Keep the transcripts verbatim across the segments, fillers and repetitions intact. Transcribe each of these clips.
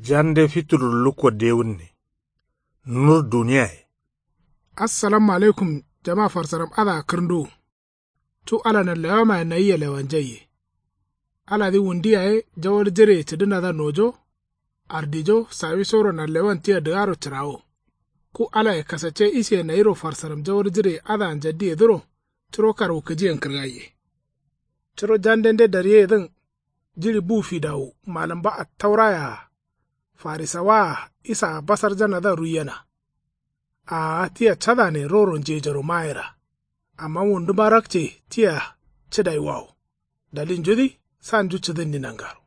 Jande fitur lukko dewunne. Nur duniyaye. Assalamu alaikum. Jama farsaram adǝa kǝrnduwu. Cu ala nanlewamaye nayia lewanjaiye. Aladǝ wundi yaye jawal jireye cǝdǝnadǝa nojo. Ardijo sawisoro nanlewan tia dǝgaro cǝrawo. Ku alaye kasacce isiye nayiro farsaram jawal jireye adǝa njaddiyedǝro. Curo karwukǝjiyen kǝrgaiye. Curo jandende daryeyedǝn. Jiɍi bu fidawu malǝmba attaurayea. Farisawaa isaa basarjanadǝa ruiyena. Aa tia cadane roro njejoro mayera. Amma wunduma rakce tia cǝdaiwawo. Dalilnjudǝ sanju cǝdǝnni nangaro.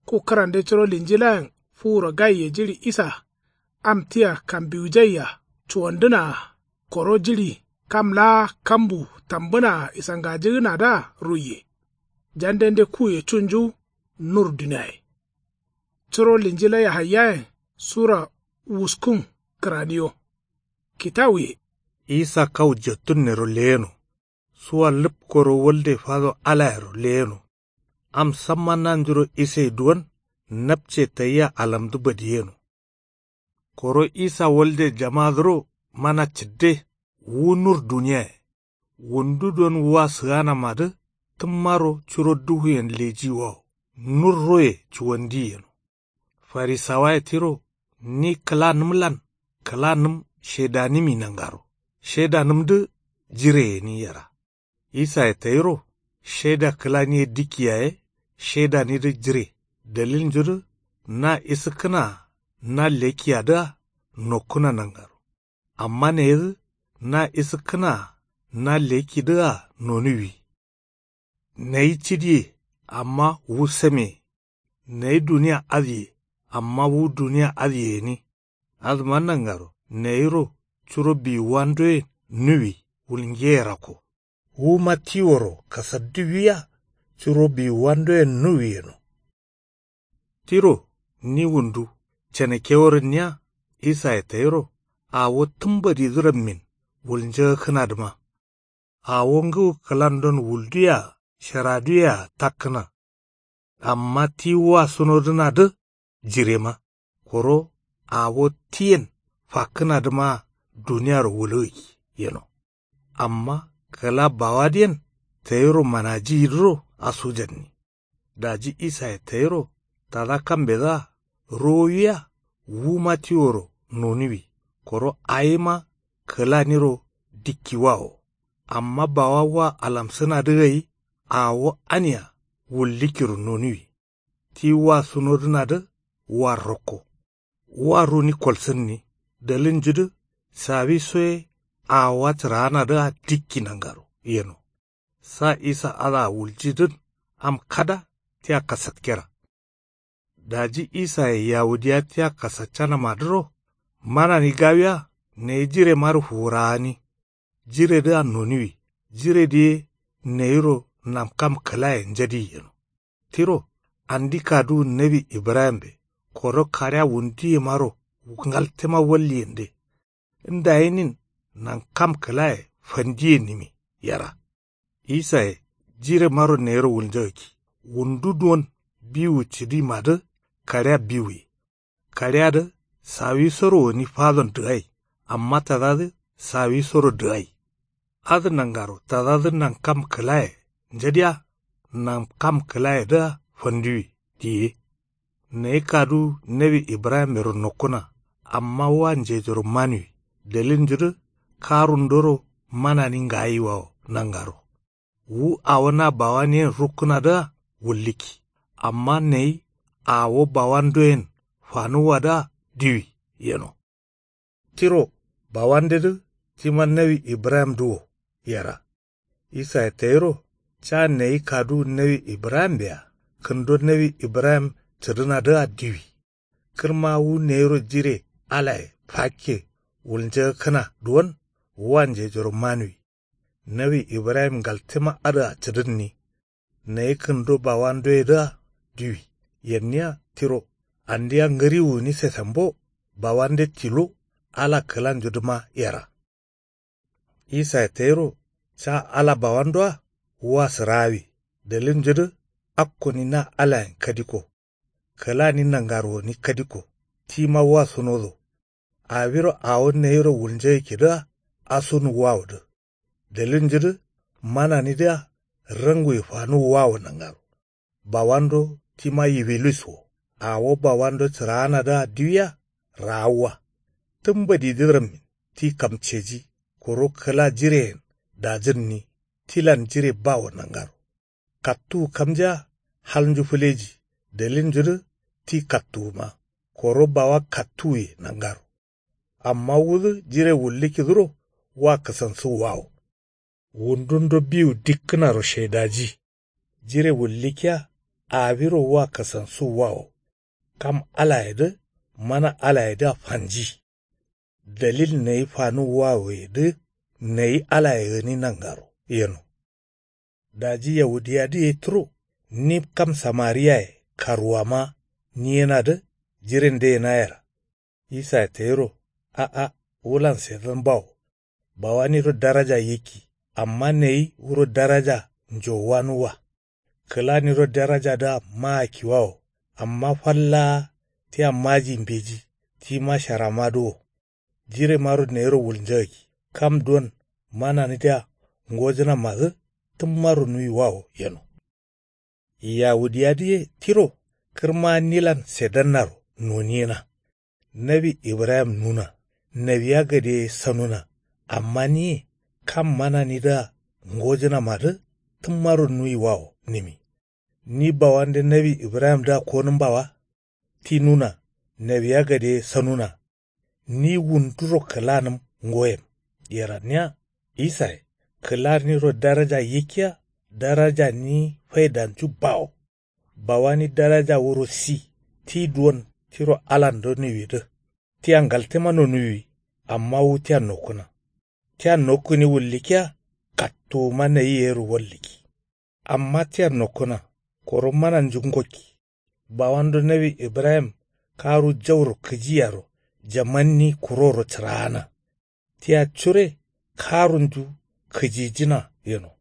Ku kǝrande curo linjilayen fuwuro gaiye jiɍi isa. Am tia kambiwujaiya cuwandǝnaa. Koro jiɍi kam laa kambu tambǝnaa isangajǝgǝnadǝa ruiye. Jandende kuye cunju nur duniaye. Curo linjila yahayyayen sura wuskun kǝraniyo. Kitawuye. Isa kau jettunnero leyeno. Suwa lǝpkoro walde fado alayero leyeno. Am samma nanjuro isai duwon. Napce tayia alamdǝ badiyeno. Koro isa walde jamadǝro mana cǝdde. Wu nur duniyaye. Wundu don wa sǝganamadǝ tǝmmaro curo duhuyen lejiwawo. Nurroye cuwandiyi yeno. Farisawaye tiro ni kǝlanǝmlan kǝlanǝm shedanǝmi nangaro. Shedanǝmdǝ jire gǝni yera. Isaye tayiro sheda kǝlani ye dikki yaye. Shedanidǝ jire dalilnjudǝ na isǝkkǝnaa na lekkiyadǝa nokkǝna nangaro. Amma neyidǝ na isǝkkǝnaa na lekkidǝa nonuwi. Nayi cidiye amma wu sameye. Nayi duniya adǝye amma wu duniya adǝye gǝni. Adǝma nangaro nayiro curo biwuwandoyen nuwi wulngeyerakko. Wuma tiworo kasaddiwiya curo biwuwandoyen nuwi yeno. Tiro ni wundu canekewor gǝnniya. Isaye tayiro awo tǝmbadidǝ rammin wulnjagakkǝnadǝma. Awo ngǝwu kǝlandon wulduye-a sharaduye-a takkǝna. Amma ti wa sunodǝnadǝ jirema. Koro awo tiyen fakkǝnadǝmaa duniyaro wulgǝkki yeno. Amma kǝla bawadǝyen tayiro manajiyidǝro asujanni. Daji isaye tayiro tada kambedǝa rowowiya wuma tiworo nonuwi. Koro awima kǝlaniro dikkiwawo. Amma bawa wa alamsǝnadǝ gai awo ania wullikkiro nonuwi. Ti wa sunodǝnadǝ wa rokko. Wa runi kolsǝnni dalilnjudǝ sawiso ye awowa cǝraanadǝa dikki nangaro yeno. Sa isa adǝa wuljidǝn am kada tia kasatkera. Daji isaye yawudiya tia kasaccanamadǝro manani gawiya nayi jiremaro fuwuraani. Jiredǝa nonuwi. Jiredǝ ye nayiro namkam kǝlaye njadiyi yeno. Tiro andi kaduwu nawi ibrahimbe koro kaɍea wunduyemaro ngaltema walliyende. Ndayinin nankam kǝlaye fandiyennimi yera. Isaye jiremaro nayiro wulnjagakki wundu duwon biwu cǝdimadǝ kaɍea biwuye. Kaɍeadǝ sawisoro gǝni fadon dǝgai amma tadadǝ sawisoro dǝgai. Adǝ nangaro tadadǝ nankam kǝlaye njadiya. Nankam kǝlayedǝa fanduwi diye. Nayi kaduwu nawi ibrahimmero nokkuna amma wa njejoro manuwi. Dalilnjudǝ karundoro manani ngayiwawo nangaro. Wu awo na bawaniyen rukkǝnadǝa wullikki amma nayi awo bawandoyen fanuwwadǝa diwi yeno. Tiro bawandedǝ tima nawi ibrahimdǝ wo yera. Isaye tayiro ca nayi kaduwu nawi ibrahimbe-a kǝndo nawi ibrahim cǝdǝnadǝa diwi. Kǝrma wu nayiro jire alaye fakke wulnjagakkǝna duwon wa njejoro manuwi. Nawi ibrahim ngaltema adǝa cǝdǝnni. Nayi kǝndo bawandoyedǝa diwi yenniya tiro andiya ngǝriwu gǝni sesembo. Bawande tilo ala kǝlanjudǝma yera. Isaye tayiro ca ala bawandoa wa sǝraawi dalilnjudǝ akkoni na alayen kadikko. Kǝlani nangaro gǝni kadikko. Tima wa sunodo. Awiro awo nayiro wulnjagǝkkidǝa. Asunu wawodǝ. Dalilnjudǝ mananidǝa. Ranguye fanuwu wawo nangaro. Bawando tima yiwiluis wo. Awo bawando cǝraanadǝa diwiya. Raawwa. Tǝmbadidǝ rammin ti kamceji. Koro kǝla jireyen dajǝnni. Tilan jire bawo nangaro. Kattuwu kamjea. Halnju fǝleji. Dalilnjudǝ ti kattuwuma. Koro bawa kattuwuye nangaro. Amma wudǝ jire wullǝkkidǝro. Wa kǝsansu wawo. Wundundo biwu dikkǝnaro shaidaji. Jire wullǝkkiya. Awiro wa kǝsansu wawo. Kam alayedǝ mana alayedǝa fanji. Dalil nayi fanuwu wawoyedǝ. Nayi alaye gǝni nangaro yeno. Daji yawudiyadǝye turo. Ni kam samariyaye karuwama. Niyenadǝ. Jirende yenayera. Isaye tayiro. A'a. Wulan sedan bawo. Bawaniro daraja yikki. Amma nayi wuro daraja njowanuwa. Kǝlaniro darajadǝa maa kiwawo. Amma fallaa tia maji mbeji. Tima sharamadǝ wo. Jiremaro nayiro wulnjagakki. Kam duwon mananidǝa ngojǝnamadǝ. Tǝmmaro nuwi wawo yeno. Yawudiyadǝye tiro. Kǝrma nilan sedannaro noniyena. Nawi ibrahim nuna. Nawiya gade sanuna. Amma niye kam mananidǝa ngojǝnamadǝ. Tǝmmaro nuwi wawo nǝmi. Ni bawande nawi ibrahimdǝa konǝmba wa. Ti nuna. Nawiya gade sanuna. Ni wunduro kǝlanǝm ngoyen. Yeranniya. Isaye kǝlaniro daraja yikkiya. Darajani faidanju bawo. Bawani daraja wuro si. Ti duwon tiro alando nuwidǝ. Tia ngaltema nonuwi. Amma wu tia nokkǝna. Tia nokkǝni wullǝkkiya. Kattuwuma nayi yero wallǝkki. Amma tia nokkǝna. Koro mananju ngokki. Bawando nawi ibrahim karu jauro kǝjiyaro jamanni kuroro cǝraana. Tia cure karunju kǝjijǝna yeno.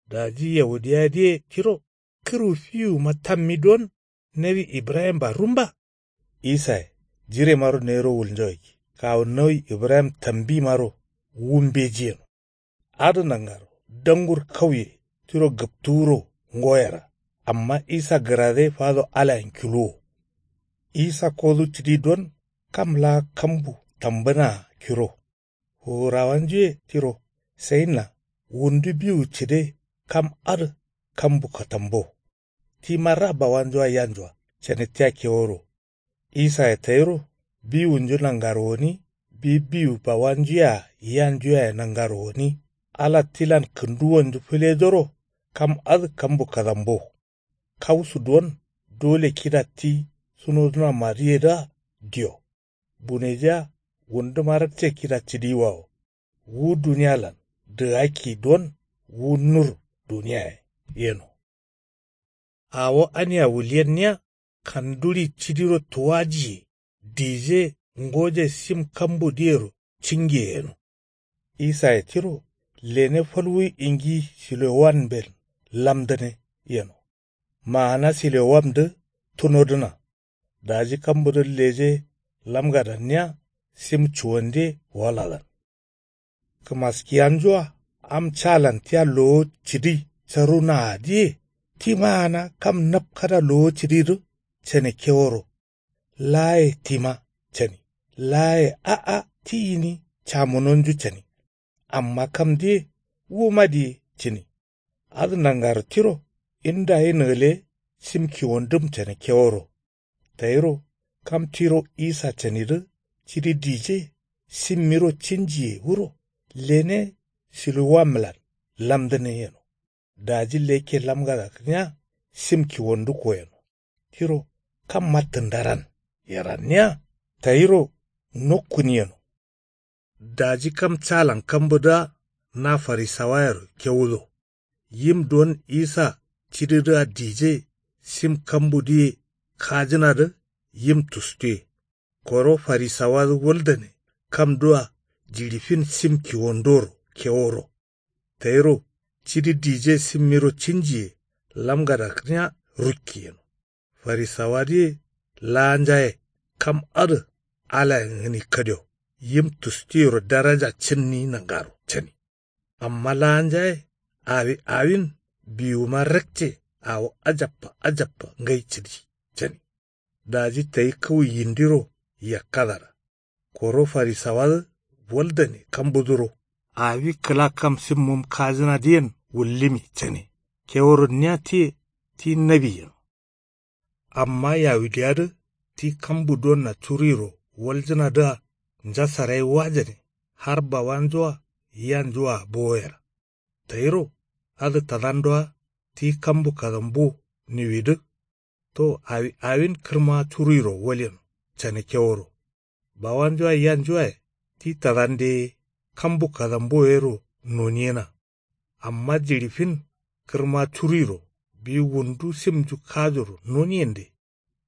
Daji yawudiyadǝye tiro. Kǝrwu fiwuma tammi don nawi ibrahimba rumba. Isaye jiremaro nayiro wulnjagakki kawu nawi ibrahim tambimaro wu mbeji yeno. Adǝ nangaro dangur kauye tiro gǝptuwuro ngoyera. Amma isa gǝrade fado alayen kiluwo. Isa kodu cǝdi don kam laa kambu tambǝnaa kiro. Fuwurawanjuye tiro sayinna wundu biwu cǝde kam adǝ kambu katambo. Tima ra bawanjua yanjua cani tia keworo. Isaye tayiro biwunju nangaro gǝni bi biwu bawanjuyea yanjuyaye nangaro gǝni. Ala tilan kǝnduwonju fǝledoro kam adǝ kambu kadambo. Kausu duwon dole kida ti sunodǝnamadǝyedǝa diyo. Bunejea wunduma rakce kida cǝdiwawo. Wu duniyalan dǝgakki don wu nur duniyaye yeno. Awo ania wuliyenniya kanduri cǝdiro tuwajiye dije ngoje sim kambudǝyero cingiye yeno. Isaye tiro lene falwuyi ingi silowamben lamdǝne yeno. Maana silowamdǝ tunodǝna. Daji kambudǝ leje lamgadanniya sim cuwande waladan. Kǝmaskiyanjua am calan tia lowo cǝdi carunaadǝye ti maana kam napkada lowo cǝdidǝ cane keworo. Laaye tima cani. Laaye a'a ti gǝni camunonju cani. Amma kamdǝye wuma diye cǝni. Adǝ nangaro tiro indayin gǝle sim kiwondǝm cane keworo. Tayiro kam tiro isa canidǝ cidi dije simmiro cinjiye wuro lene siluwamlan lamdǝne yeno. Daji lekke lamgada kǝniya sim kiwondukko yeno. Tiro kamma tǝndaran yeranniya tayiro nokkuni yeno. Daji kam calan kambudǝa na farisawayero kewudo. Yim don isa cididǝa dije sim kambudǝye kajǝnadǝ yim tustuye. Koro farisawadǝ wuldane kamdua jiɍifin sim kiwondoro keworo. Tayiro cidi dije simmiro cinjiye lamgada kǝniya rukki yeno. Farisawadǝye laanjaye kam adǝ alayen gǝni kadio yim tustuyero daraja cǝnni nangaro cani. Amma laanjaye awi awin biwuma rakce awo ajabba ajabba ngai cǝdi cani. Daji tayi kǝwu yindiro yakkadara. Koro farisawadǝ waldane kambudǝro awi kǝla kam simmum kajǝnadǝyen wullimi cani. Keworonniya tiye ti nawi yeno. Amma yawudiyadǝ ti kambu donna curuiro waljǝnadǝa njasarai wajane har bawanjua yanjua bowoyera. Tayiro adǝ tadandoa ti kambu kadambu niwidǝ to awi awin kǝrma curuiro walyeno cane keworo. Bawanjua yanjuaye ti tadande kambu kadambuwo yero noniyena. Amma jiɍi fin kǝrma curuiro biwu wundu simnju kajoro noniyende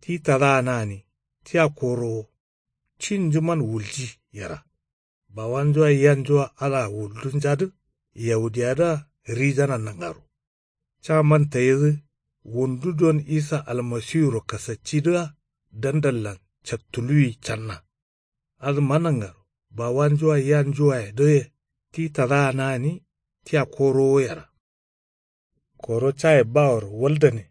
ti tadaana gǝni tia korowo cinjuman wulji yera. Bawanjua yanjua alaa wuldunjadǝ yawudiyadǝa rijana nangaro. Caman tayidǝ wundu don isa almasiwuro kasaccidǝa dandallan cattuluwi canna. Adǝma nangaro bawanjua yanjuaye dǝye ti tadaana gǝni tia korowo yera. Koro caye baworo waldane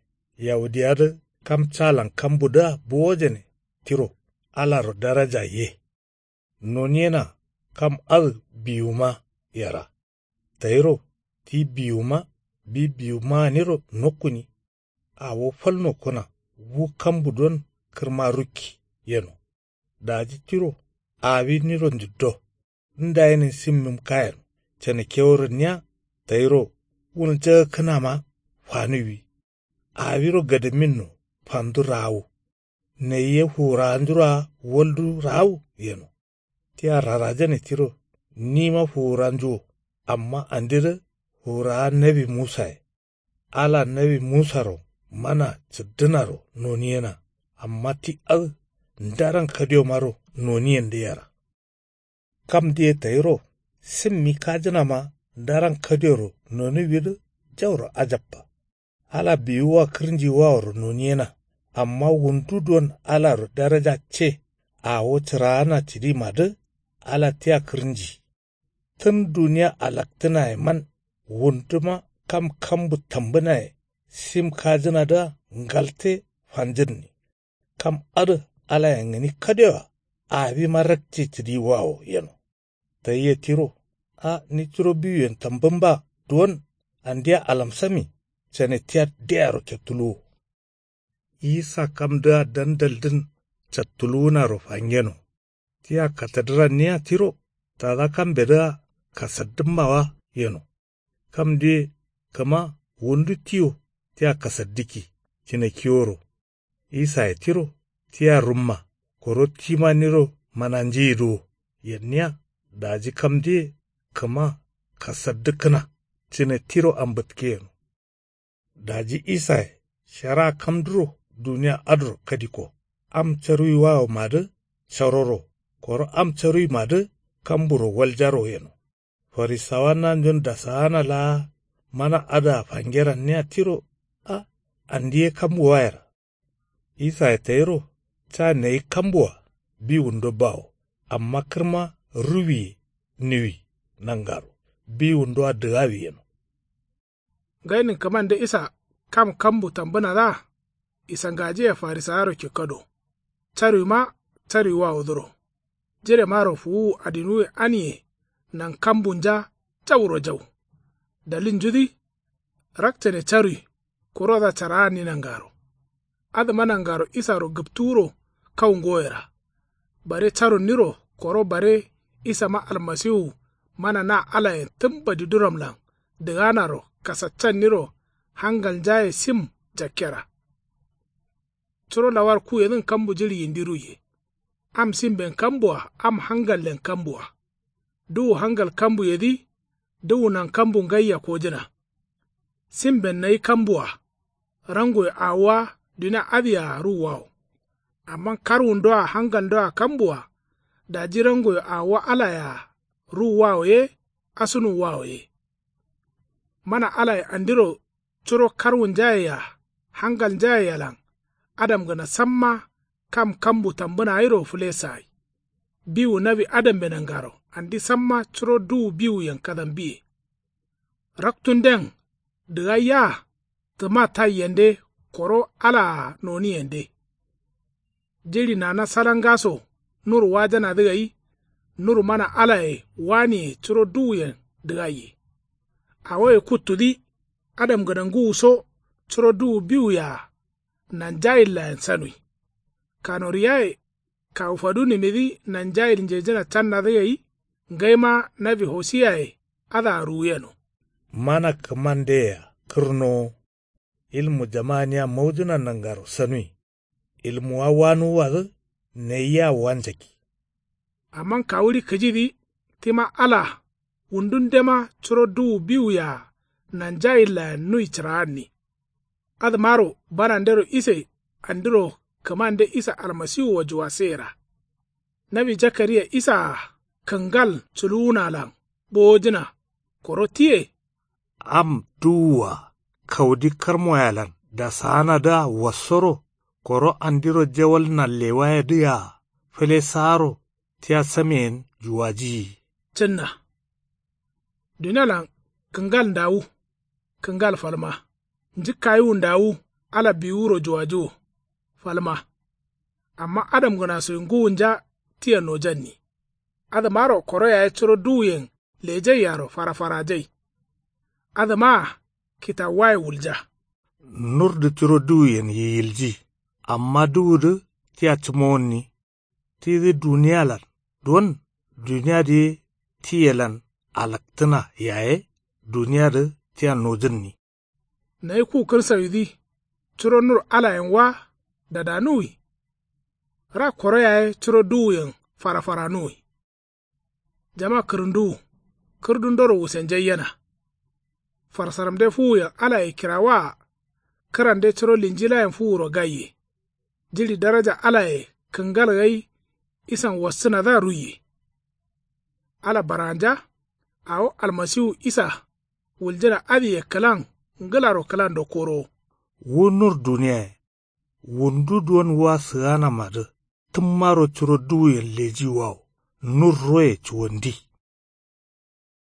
yawudiyadǝ kam calan kambudǝa bowojane tiro alaro daraja ye. Noniyena kam adǝ biwuma yera. Tayiro ti biwuma bi biwuma gǝniro nokkuni. Awo fal nokkuna wu kambu don kǝrma rukki yeno. Daji tiro awi niro njuddo ndayinin simmim kayeno cane keworonniya tayiro wulnjagakkǝnama fanuwwi. Awiro gadaminno fandu raawu. Nayi ye fuwurawanjuroa waldu raawu yeno. Tia rarajane tiro nima fuwuranju wo. Amma andedǝ fuwurawa nawi musaye. Ala nawi musaro mana cǝddǝnaro noniyena. Amma ti adǝ ndaran kadiyomaro noniyende yera. Kamdǝye tayiro simmi kajǝnama ndaran kadiyoro nonuwwidǝ jauro ajabba. Ala biwuwa kǝrnjiwaworo noniyena. Amma wundu don alaro daraja ce awo cǝraana cǝdimadǝ ala tia kǝrnji. Tǝn duniya alaktǝnayeman wunduma kam kambu tambǝnaye sim kajǝnadǝa ngalte fanjǝnni. Kam adǝ alayen gǝni kadewa awima rakce cǝdiwawo yeno. Tayi ye tiro a ni curo biwuyen tambǝmba duwon andia alamsami cane tia deyaro kettuluwo. Isa kamdǝa dandaldǝn cattuluwunaro fangeno. Tia katadǝranniya tiro tada kambedǝa kasaddǝmmawa yeno. Kamdǝye kǝma wundu tiyo tia kasaddǝkki cǝne kiworo. Isaye tiro tia rumma koro tima niro mananjiyidǝwo yenniya. Daji kamdǝye kǝma kasaddǝkkǝna cǝne tiro ambǝtke yeno. Daji isaye shara kamduro duniya adǝro kadikko. Am caruwiwawomadǝ caroro koro am caruwimadǝ kamburo waljaro yeno. Farisawa nanjon dasaana laa mana adǝa fangeranniya tiro a andi ye kambuwayera. Isaye tayiro ca nayi kambua biwundo bawo amma kǝrma ruwiye niwi nangaro biwundoa dǝgawi yeno. Ngainin kǝmande isa kam kambu tambǝnadǝa isangajiye farisawaro kikkado. Carwima carwiwawodǝro jiremaro fuwuwu adinuwe aniye nankambunja jauro jau. Dalilnjudǝ rakcane carwi kurodǝa caraanni nangaro. Adǝma nangaro isaro gǝptuwuro kau ngoyera. Bare carunniro koro bare isama almasiwu mana na alayen tǝm badiduramlan dǝganaro kasaccanniro hangalnjaye sim jakkera. Curo lawar kuyedǝn kambu jiɍi yindi ruiye. Am simben kambua am hangallen kambua. Duwu hangal kambuyedǝ duwu nankambu ngaiya kojǝna. Simben nayi kambua rangoyo awowa dunia adǝyea ruwwawo. Amma karwundoa hangalndoa kambua daji rangoyo awowa alayea ruwwawo ye asunuwwawo ye. Mana alaye andiro curo karwunjayea hangalnjayealan adamgǝna samma kam kambu tambǝna gairo fǝlesagai. Biwu nawi adambe nangaro andi samma curo duwu biwuyen kadambiye. Raktunden dǝgaiya tǝma taiyende koro alaa noniyende. Jiɍi nana salangaso nur wajanadǝ gai nur mana alaye waniye curo duwuyen dǝgaiye. Awoye kuttudǝ adamgǝna ngǝwuso curo duwu biwuyea nanjayillayen sanui. Kanoriyaye kawu fadunimidǝ nanjayil njejǝna cannadǝ gai ngaima nawi hosiyaye adǝa ruwuyeno. Mana kǝmandeyea kǝrnowo. Ilmu jamaniya maujǝna nangaro sanui. Ilmuwa wanuwwadǝ nayia wanjakki. Amma kawuɍi kǝjidǝ tima ala wundundema curo duwu biwuyea nanjayillayen nui cǝraanni. Adǝmaro banandero ise andiro kǝmande isa almasiwuwa juwaseyera. Nawi jakariya isaa kǝngal culuwunalan bowojǝna koro tiye. Am duwua kaudi karmoyalan dasaanadǝa wassoro koro andiro jawal nallewayedǝa fǝlesaaro tia sameyen juwajiyi. Cǝnna. Dunialan kǝngal ndawu kǝngal falma. Njǝkkayiwu ndawu ala biwuro juwajiwo falma. Amma adamgǝnasoi ngǝwunja tia nojanni. Adǝmaro koro yaye curo duwuyen lejaiaro farafarajai. Adǝmaa kitawuwaye wulja. Nurdǝ curo duwuyen yiyilji. Amma duwudǝ tia cǝmowonni. Tidǝ duniyalan don duniyadǝ ye tiyelan alaktǝna yaye duniyadǝ tia nojǝnni. Nayi ku kǝrsawidǝ curo nur alayen wa dadanuwi. Ra koro yaye curo duwuyen farafaranuwi. Jama kǝrǝnduwu kǝrdundoro wusenjaiyena. Farsaramde fuwuyen alaye kirawaa kǝrande curo linjilayen fuwuro gaiye. Jiɍi daraja alaye kǝngal gai isan wassǝnadǝa ruiye. Ala baranja awo almasiwu isa wuljǝna adǝye kǝlan ngǝlaro kǝlando korowo. Wu nur duniyaye wundu duwon wa sǝganamadǝ tǝmmaro curo duwuyen lejiwawo nur roye cuwandi.